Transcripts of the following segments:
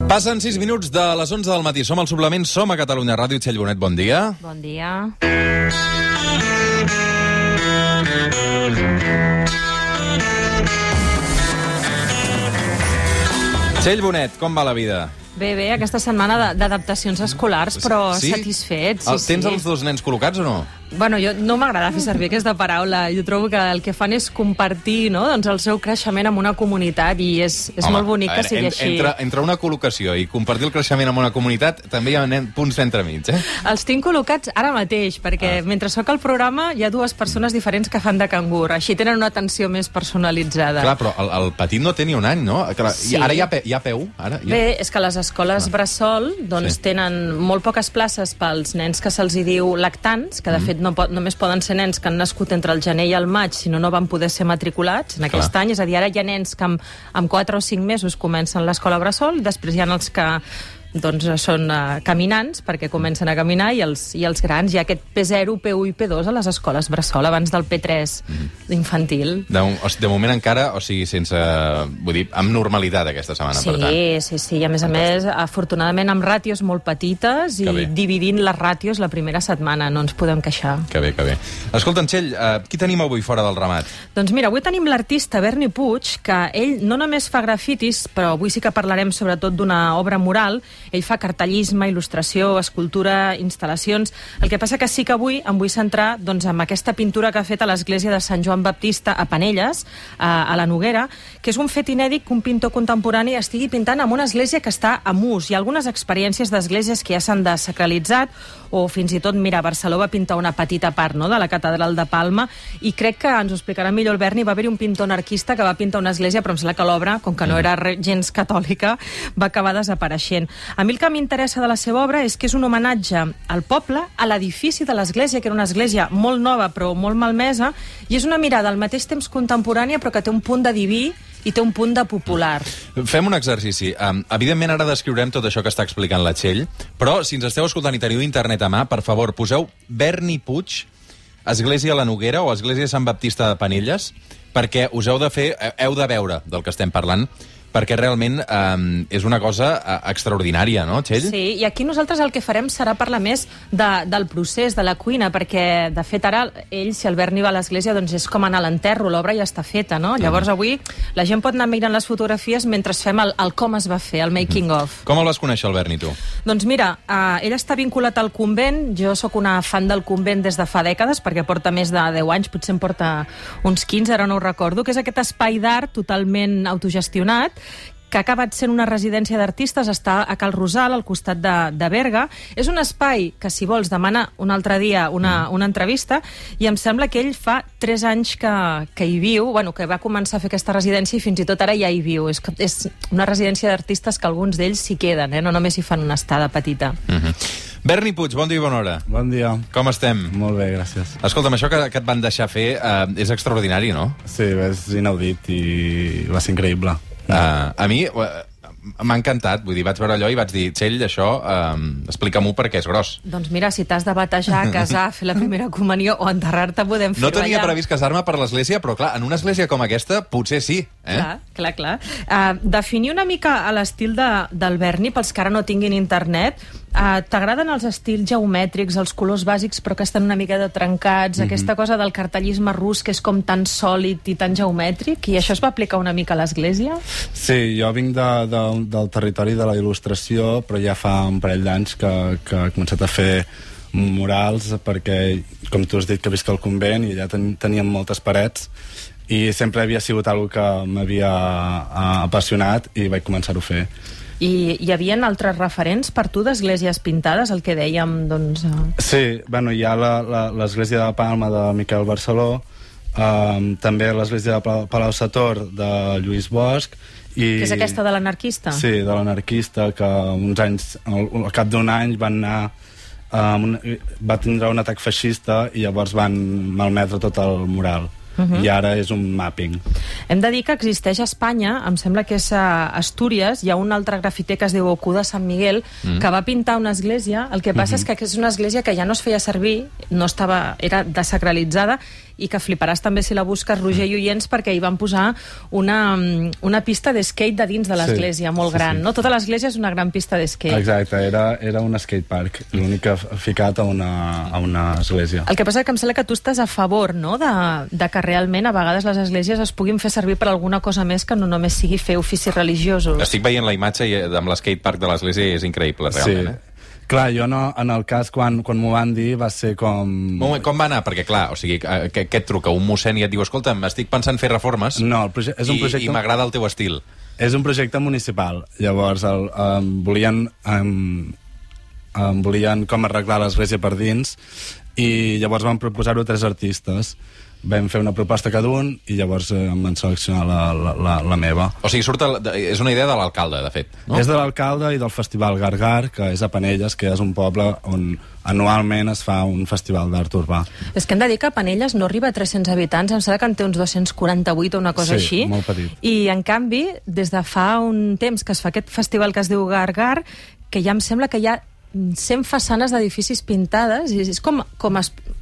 Passen 6 minuts de les 11 del matí. Som al Suplement, som a Catalunya Ràdio. Txell Bonet, bon dia. Bon dia. Txell Bonet, com va la vida? Bé, aquesta setmana d'adaptacions escolars, però satisfets. Tens els dos nens col·locats o no? Bueno, no m'agrada fer servir aquesta paraula. Jo trobo que el que fan és compartir, no?, doncs el seu creixement amb una comunitat i és molt bonic que sigui així. Entre una col·locació i compartir el creixement amb una comunitat també hi ha punts d'entremig, eh? Els tinc col·locats ara mateix, perquè mentre soc al programa hi ha dues persones diferents que fan de cangur. Així tenen una atenció més personalitzada. Clar, però el petit no té ni un any, no? Clar, sí. Ara hi ha peu? Bé, és que les escoles bressol tenen molt poques places pels nens que se'ls diu lactants, que de fet només poden ser nens que han nascut entre el gener i el maig, si no van poder ser matriculats en aquest any. És a dir, ara hi ha nens que amb 4 o 5 mesos comencen l'escola bressol i després hi ha els que són caminants, perquè comencen a caminar, i els grans. Hi ha aquest P0, P1 i P2 a les escoles bressol, abans del P3 infantil. De moment encara, o sigui, sense... Vull dir, amb normalitat aquesta setmana, per tant. Sí. I a més, afortunadament amb ràtios molt petites i dividint les ràtios la primera setmana, no ens podem queixar. Que bé. Escolta'm, Txell, qui tenim avui fora del ramat? Doncs mira, avui tenim l'artista Berni Puig, que ell no només fa grafitis, però avui sí que parlarem sobretot d'una obra mural. Ell fa cartellisme, il·lustració, escultura, instal·lacions. El que passa que sí que avui em vull centrar en aquesta pintura que ha fet a l'església de Sant Joan Baptista a Penelles, a la Noguera, que és un fet inèdit que un pintor contemporani estigui pintant en una església que està en ús. Hi ha algunes experiències d'esglésies que ja s'han desacralitzat, o fins i tot, mira, Barcelona va pintar una petita part de la catedral de Palma, i crec que ens ho explicarà millor el Berni. Va haver-hi un pintor anarquista que va pintar una església, però em sembla que l'obra, com que no era gens catòlica, va acabar desapareixent. A mi el que m'interessa de la seva obra és que és un homenatge al poble, a l'edifici de l'església, que era una església molt nova però molt malmesa, i és una mirada al mateix temps contemporània, però que té un punt de diví i té un punt de popular. Fem un exercici. Evidentment, ara descriurem tot això que està explicant la Txell, però si ens esteu escoltant i teniu internet a mà, per favor, poseu Berni Puig, Església a la Noguera o Església de Sant Baptista de Penelles, perquè us heu de veure del que estem parlant, perquè realment és una cosa extraordinària, no, Txell? Sí, i aquí nosaltres el que farem serà parlar més del procés, de la cuina, perquè, de fet, ara ell, si el Berni va a l'església, doncs és com anar a l'enterro, l'obra ja està feta, no? Llavors, avui, la gent pot anar mirant les fotografies mentre fem el com es va fer, el making of. Com el vas conèixer, el Berni, tu? Doncs mira, ell està vinculat al convent, jo sóc una fan del convent des de fa dècades, perquè porta més de 10 anys, potser en porta uns 15, ara no ho recordo, que és aquest espai d'art totalment autogestionat, que ha acabat sent una residència d'artistes, està a Cal Rosal, al costat de Berga. És un espai que, si vols, demana un altre dia una entrevista, i em sembla que ell fa 3 anys que hi viu, que va començar a fer aquesta residència i fins i tot ara ja hi viu. És una residència d'artistes que alguns d'ells s'hi queden, no només hi fan una estada petita. Berni Puig, bon dia i bona hora. Bon dia. Com estem? Molt bé, gràcies. Escolta'm, això que et van deixar fer és extraordinari, no? Sí, és inaudit i va ser increïble. A mi m'ha encantat, vull dir, vaig veure allò i vaig dir, Txell, això, explica-m'ho perquè és gros. Doncs mira, si t'has de batejar, casar, fer la primera comunió o enterrar-te, podem fer-ho allà. No tenia previst casar-me per l'església, però clar, en una església com aquesta, potser sí. Clar. Definir una mica l'estil del Berni, pels que ara no tinguin internet, t'agraden els estils geomètrics, els colors bàsics, però que estan una mica trencats, aquesta cosa del cartellisme rus, que és com tan sòlid i tan geomètric, i això es va aplicar una mica a l'església? Sí, jo vinc del territori de la il·lustració, però ja fa un parell d'anys que he començat a fer murals, perquè, com tu has dit, que visc al convent i allà teníem moltes parets, i sempre havia sigut una cosa que m'havia apassionat i vaig començar-ho a fer. I hi havia altres referents per tu d'esglésies pintades, el que dèiem, doncs... Sí, hi ha l'església de Palma de Miquel Barceló, també l'església de Palau-sator de Lluís Bosch, que és aquesta de l'anarquista? Sí, de l'anarquista, que uns anys, al cap d'un any van anar... va tindre un atac feixista i llavors van malmetre tot el mural. I ara és un mapping. Hem de dir que existeix a Espanya, em sembla que és a Astúries, hi ha un altre grafiter que es diu Ocú de Sant Miguel, que va pintar una església. El que passa és que és una església que ja no es feia servir, era desacralitzada, i que fliparàs també si la busques, Roger i oients, perquè hi van posar una pista d'skate de dins de l'església, molt gran, no? Tota l'església és una gran pista d'skate. Exacte, era un skatepark, l'únic que ha ficat a una església. El que passa que em sembla que tu estàs a favor, no?, de que realment a vegades les esglésies es puguin fer servir per alguna cosa més que no només sigui fer oficis religiosos. Estic veient la imatge amb l'skatepark de l'església i és increïble, realment. Sí. Clar, jo no, en el cas, quan m'ho van dir, va ser com... Com va anar? Perquè, clar, o sigui, què et truca? Un mossèn i et diu, escolta, estic pensant fer reformes no, és un projecte... i m'agrada el teu estil. És un projecte municipal. Llavors, volien com arreglar l'església per dins i llavors van proposar-ho 3 artistes. Vam fer una proposta cada un i llavors em van seleccionar la meva. O sigui, és una idea de l'alcalde, de fet, no? És de l'alcalde i del Festival Gargar, que és a Penelles, que és un poble on anualment es fa un festival d'art urbà. És que hem de dir que Penelles no arriba a 300 habitants, em sembla que en té uns 248 o una cosa així. Sí, molt petit. I, en canvi, des de fa un temps que es fa aquest festival que es diu Gargar, que ja em sembla que hi ha 100 façanes d'edificis pintades, i és com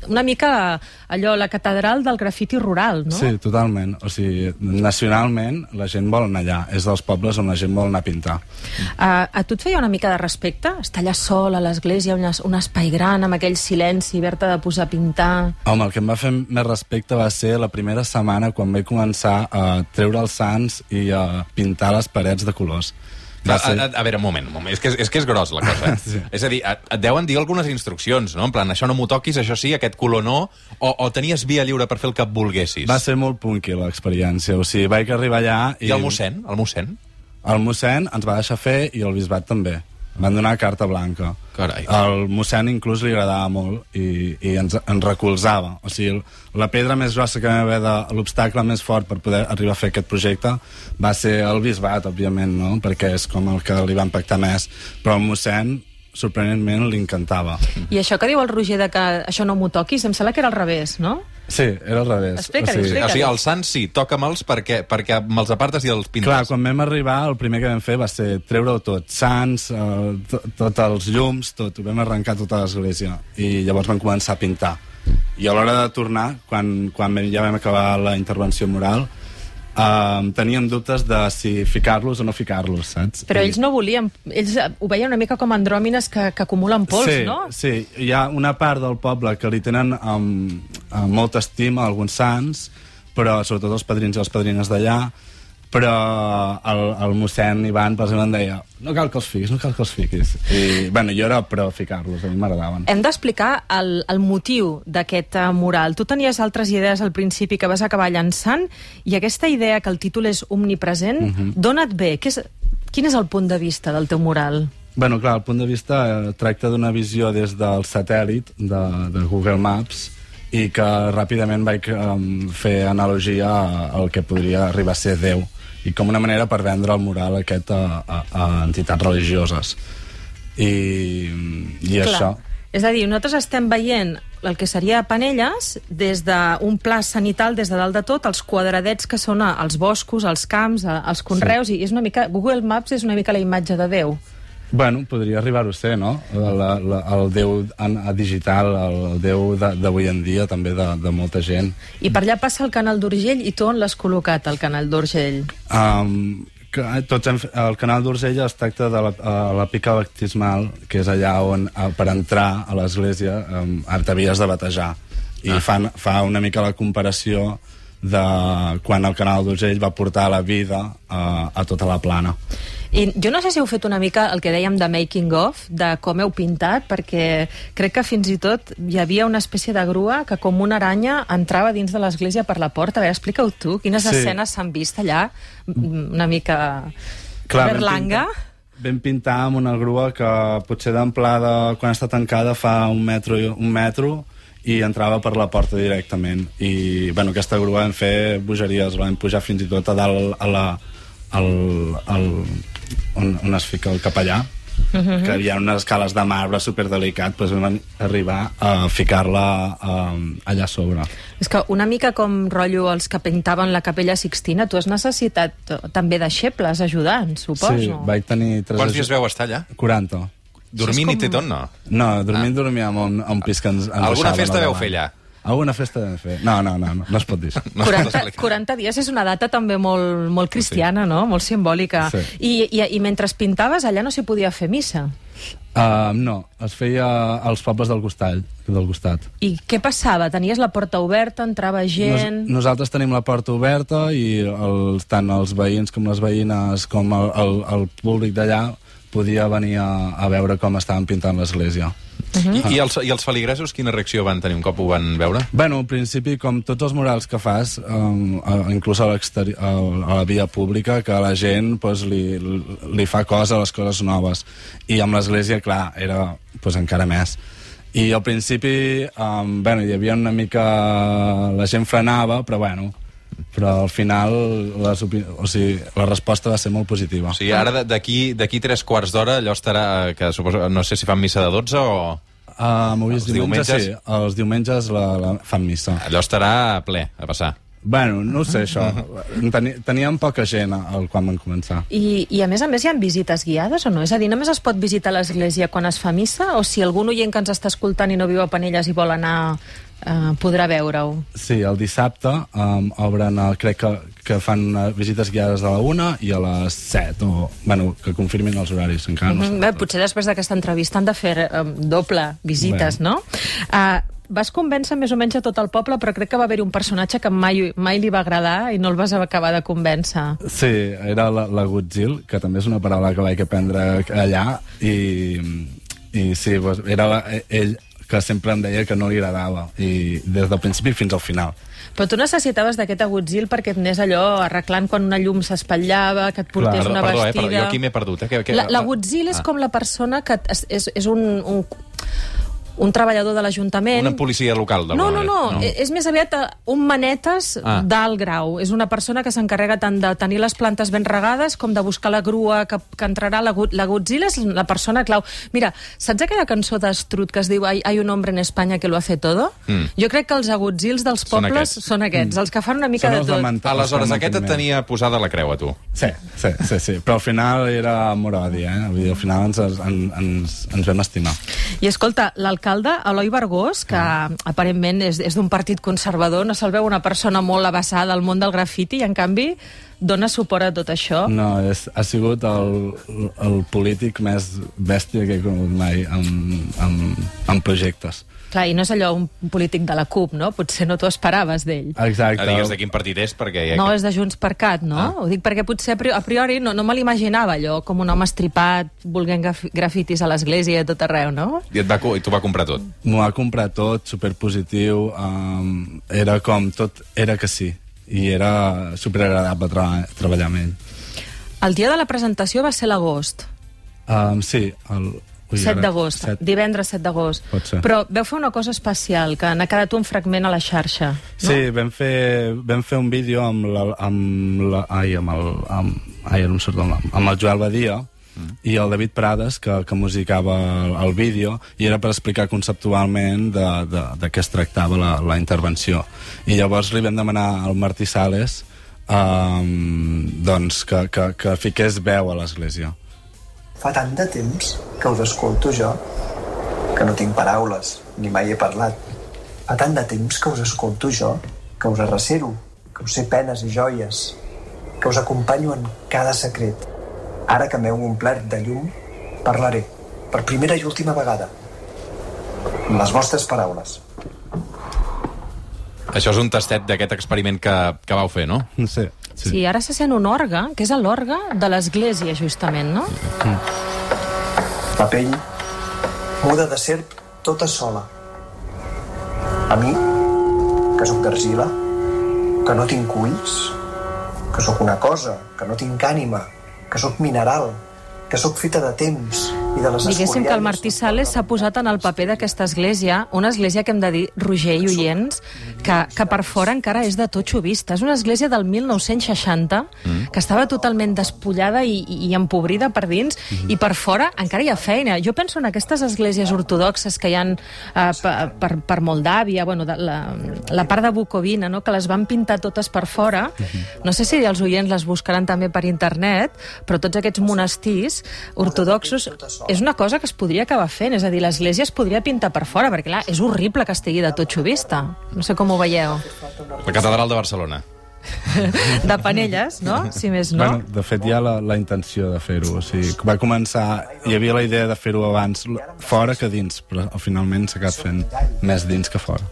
una mica allò, la catedral del grafiti rural, no? Sí, totalment. O sigui, nacionalment la gent vol anar allà. És dels pobles on la gent vol anar a pintar. A tu et feia una mica de respecte? Estar allà sol a l'església, un espai gran, amb aquell silenci, haver-te de posar a pintar... Home, el que em va fer més respecte va ser la primera setmana quan vaig començar a treure els sants i a pintar les parets de colors. A veure, un moment. És que és gros, la cosa. Sí. És a dir, et deuen dir algunes instruccions, no? En plan, això no m'ho toquis, això sí, aquest color no, o tenies via lliure per fer el que volguessis? Va ser molt punky, l'experiència. O sigui, vaig arribar allà... I el mossèn? El mossèn? El mossèn ens va deixar fer i el bisbat també. Van donar carta blanca. Carai. El mossèn inclús li agradava molt i ens recolzava. O sigui, la pedra més grossa que vam haver l'obstacle més fort per poder arribar a fer aquest projecte va ser el bisbat, òbviament, no? Perquè és com el que li va impactar més. Però el mossèn, sorprenentment, li encantava. I això que diu el Roger de que això no m'ho toquis, em sembla que era al revés, no? Sí, era al revés. Explica-li. O sigui, els sants sí, toca'm'ls perquè me'ls apartes i els pintes. Clar, quan vam arribar, el primer que vam fer va ser treure-ho tot. Sants, tots els llums, tot. Ho vam arrencar tota l'església. I llavors vam començar a pintar. I a l'hora de tornar, quan ja vam acabar la intervenció moral, teníem dubtes de si ficar-los o no ficar-los, saps? Però ells no volien, ells ho veien una mica com andròmines que acumulen pols, sí, no? Sí, hi ha una part del poble que li tenen molta estima a alguns sants, però sobretot els padrins i les padrines d'allà, però el mossèn Ivan, per exemple, em deia no cal que els fiquis. I, bueno, jo era pro ficar-los, a mi m'agradaven. Hem d'explicar el motiu d'aquest mural. Tu tenies altres idees al principi que vas acabar llançant, i aquesta idea que el títol és omnipresent, d'on et ve? Quin és el punt de vista del teu mural? Bueno, clar, el punt de vista tracta d'una visió des del satèl·lit de Google Maps, i que ràpidament vaig fer analogia al que podria arribar a ser Déu, i com una manera per vendre el mural aquest a entitats religioses. I això. És a dir, nosaltres estem veient el que seria Penelles des d'un pla sanital, des de dalt de tot, els quadradets que són els boscos, els camps, els conreus, sí. I és una mica, Google Maps és una mica la imatge de Déu. Bueno, podria arribar-ho a ser, no? El Déu digital, el Déu d'avui en dia, també de molta gent. I per allà passa el canal d'Urgell, i tu on l'has col·locat, el canal d'Urgell? El canal d'Urgell es tracta de la pica baptismal, que és allà on, per entrar a l'església, t'havies de batejar. I fa una mica la comparació de quan el canal d'Urgell va portar la vida a tota la plana. I jo no sé si heu fet una mica el que dèiem de making of, de com heu pintat, perquè crec que fins i tot hi havia una espècie de grua que com una aranya entrava dins de l'església per la porta. A veure, explica-ho tu, quines escenes s'han vist allà, una mica berlanga. Vam pintar amb una grua que potser d'amplada, quan està tancada, fa un metro i entrava per la porta directament. I bueno, aquesta grua vam fer bogeries, la vam pujar fins i tot a dalt on es fica el capellà, que hi ha unes escales de marbre superdelicat, doncs vam arribar a ficar-la allà sobre. És que una mica com rotllo els que pintaven la Capella Sixtina, tu has necessitat també deixebles ajudants, suposo. Sí, vaig tenir 3... Quants dies vau estar allà? 40. Dormint i tot, no? No, dormíem a un pis que ens alguna festa veu fer allà? alguna festa vam fer. No es pot dir això. 40 dies és una data també molt cristiana, no? Molt simbòlica. Sí. I mentre pintaves, allà no s'hi podia fer missa? No, es feia als pobles del costat. I què passava? Tenies la porta oberta, entrava gent... Nosaltres tenim la porta oberta i tant els veïns com les veïnes com el públic d'allà podia venir a veure com estaven pintant l'església. I els feligresos quina reacció van tenir un cop ho van veure? Bueno, en principi, com tots els murals que fas, inclús a la via pública, que a la gent li fa cosa a les coses noves. I amb l'església, clar, era encara més. I al principi, hi havia una mica... La gent frenava, però al final la resposta va ser molt positiva. O sigui, ara d'aquí 3/4 d'hora allò estarà, que suposo, no sé si fan missa de 12 o... Els diumenges sí, els diumenges fan missa. Allò estarà ple, a passar. Bueno, no ho sé, això. Teníem poca gent quan van començar. I a més hi ha visites guiades o no? És a dir, només es pot visitar l'església quan es fa missa? O si algun oient que ens està escoltant i no viu a Penelles i vol anar, podrà veure-ho? Sí, el dissabte obren, crec que fan visites guiades a la 1 i a les 7, que confirmin els horaris, encara no sé. Potser després d'aquesta entrevista han de fer doble visites, no? Vas convèncer més o menys a tot el poble, però crec que va haver-hi un personatge que mai li va agradar i no el vas acabar de convèncer. Sí, era la Godzil, que també és una paraula que vaig aprendre allà, i sí, era ell que sempre em deia que no li agradava, i des del principi fins al final. Però tu necessitaves d'aquest agutzil perquè et anés allò arreglant quan una llum s'espatllava, que et portés una vestida... Perdó, jo aquí m'he perdut. L'agutzil és com la persona que és un treballador de l'Ajuntament... Una policia local, d'alguna manera. No. És més aviat un manetes d'alt grau. És una persona que s'encarrega tant de tenir les plantes ben regades com de buscar la grua que entrarà. L'agutzil és la persona clau. Mira, saps aquella cançó d'Estrut que es diu Hay un hombre en España que lo hace todo? Jo crec que els agutzils dels pobles són aquests, els que fan una mica de tot. Aleshores, aquest et tenia posada la creu, a tu. Sí. Però al final era amor o odi, Al final ens vam estimar. I escolta, l'alcalde, Eloi Bergós, que aparentment és d'un partit conservador, no se'l veu una persona molt avançada al món del grafiti i, en canvi, dona suport a tot això. No, ha sigut el polític més bèstia que he conegut mai en projectes. Clar, i no és allò un polític de la CUP, no? Potser no t'ho esperaves d'ell. Exacte. Digues de quin partit és, perquè... No, és de Junts per Cat, no? Ho dic perquè potser a priori no me l'imaginava allò, com un home estripat, volent grafitis a l'església i a tot arreu, no? I t'ho va comprar tot? M'ho va comprar tot, superpositiu, era com tot, era que sí, i era superagradable treballar amb ell. El dia de la presentació va ser l'agost. Sí, 7 d'agost, divendres 7 d'agost. Però veu fer una cosa especial, que n'ha quedat un fragment a la xarxa. No? Sí, vam fer un vídeo amb el Joel Badia i el David Prades, que musicava el vídeo, i era per explicar conceptualment de què es tractava la intervenció. I llavors li vam demanar al Martí Sales que fiqués veu a l'església. Fa tant de temps que us escolto jo, que no tinc paraules, ni mai he parlat. Fa tant de temps que us escolto jo, que us arrecero, que us sé penes i joies, que us acompanyo en cada secret. Ara que m'heu omplert de llum, parlaré, per primera i última vegada, amb les vostres paraules. Això és un tastet d'aquest experiment que vau fer, no? Sí, ara se sent un orgue, que és l'orgue de l'església, justament, no? La pell muda de serp tota sola. A mi, que sóc d'argila, que no tinc ulls, que sóc una cosa, que no tinc ànima, que sóc mineral, que sóc feta de temps i de les escorianes... Diguéssim que el Martí Sales s'ha posat en el paper d'aquesta església, una església que hem de dir, Roger i oients, que per fora encara és de totxo vista. És una església del 1960, que estava totalment despullada i empobrida per dins, i per fora encara hi ha feina. Jo penso en aquestes esglésies ortodoxes que hi ha per Moldàvia, la part de Bucovina, no? Que les van pintar totes per fora. No sé si els oients les buscaran també per internet, però tots aquests monestirs ortodoxos és una cosa que es podria acabar fent, és a dir, l'església es podria pintar per fora, perquè clar, és horrible que estigui de totxo vista. No sé com ho veieu. La catedral de Barcelona. De panelles, no? Si més no. Bueno, de fet, hi ha la intenció de fer-ho. O sigui, va començar... Hi havia la idea de fer-ho abans fora que dins, però finalment s'ha acabat fent més dins que fora.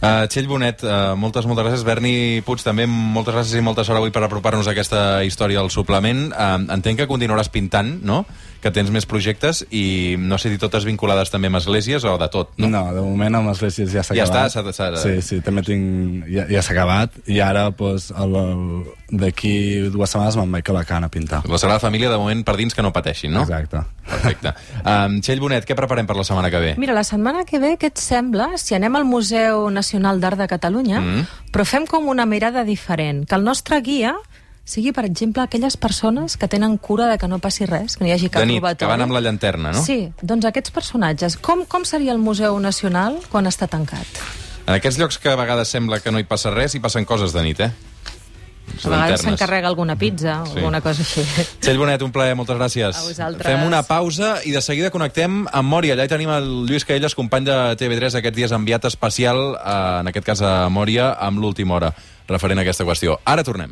Txell Bonet, moltes gràcies. Berni Puig, també moltes gràcies i molta sort avui per apropar-nos a aquesta història al suplement. Entenc que continuaràs pintant, no?, que tens més projectes i no sé si totes vinculades també amb esglésies o de tot, no? No, de moment amb esglésies ja s'ha acabat. Ja està? Sí, també tinc... Ja s'ha acabat i ara, doncs, d'aquí 2 setmanes me'n vaig a Alacant a pintar. La Sagrada Família, de moment, per dins que no pateixin, no? Exacte. Perfecte. Txell Bonet, què preparem per la setmana que ve? Mira, la setmana que ve, què et sembla, si anem al Museu Nacional d'Art de Catalunya, però fem com una mirada diferent, que el nostre guia sigui, per exemple, aquelles persones que tenen cura de que no passi res, que no hi hagi cap robatori. De nit, que van amb la llanterna, no? Sí, doncs aquests personatges. Com seria el Museu Nacional quan està tancat? En aquests llocs que a vegades sembla que no hi passa res, hi passen coses de nit, eh? A vegades s'encarrega alguna pizza o alguna cosa així. Txell Bonet, un plaer, moltes gràcies. A vosaltres. Fem una pausa i de seguida connectem amb Mòria. Allà hi tenim el Lluís Caelles, company de TV3 aquests dies, enviat especial, en aquest cas a Mòria, amb l'última hora, referent a aquesta qüestió. Ara tornem.